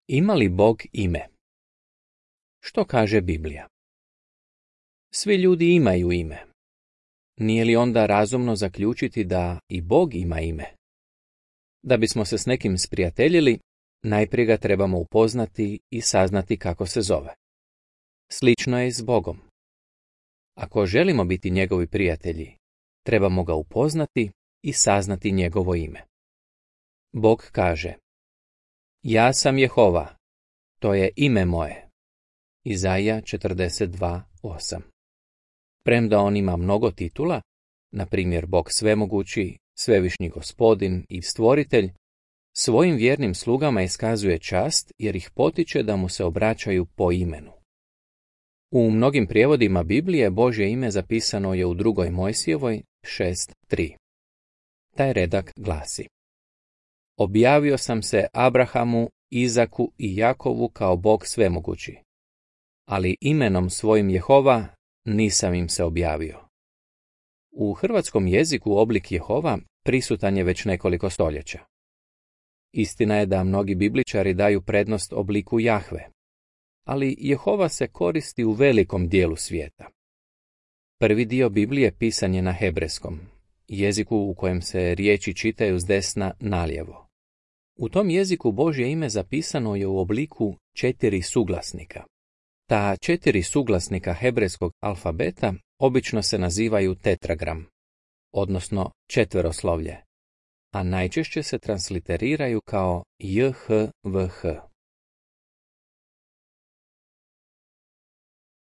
Ima li Bog ime? Što kaže Biblija? Svi ljudi imaju ime. Nije li onda razumno zaključiti da i Bog ima ime? Da bismo se s nekim sprijateljili, najprije ga trebamo upoznati i saznati kako se zove. Slično je i s Bogom. Ako želimo biti njegovi prijatelji, trebamo ga upoznati i saznati njegovo ime. Bog kaže: Ja sam Jehova, to je ime moje. Izaija 42:8. Premda on ima mnogo titula, na primjer Bog svemogući, svevišnji gospodin i stvoritelj, svojim vjernim slugama iskazuje čast jer ih potiče da mu se obraćaju po imenu. U mnogim prijevodima Biblije Božje ime zapisano je u 2. Mojsijevoj 6:3. Taj redak glasi: Objavio sam se Abrahamu, Izaku i Jakovu kao Bog svemogući, ali imenom svojim Jehova nisam im se objavio. U hrvatskom jeziku oblik Jehova prisutan je već nekoliko stoljeća. Istina je da mnogi bibličari daju prednost obliku Jahve, ali Jehova se koristi u velikom dijelu svijeta. Prvi dio Biblije pisan je na hebrejskom, jeziku u kojem se riječi čitaju s desna nalijevo. U tom jeziku Božje ime zapisano je u obliku 4 suglasnika. Ta 4 suglasnika hebrejskog alfabeta obično se nazivaju tetragram, odnosno četveroslovlje, a najčešće se transliteriraju kao JHVH.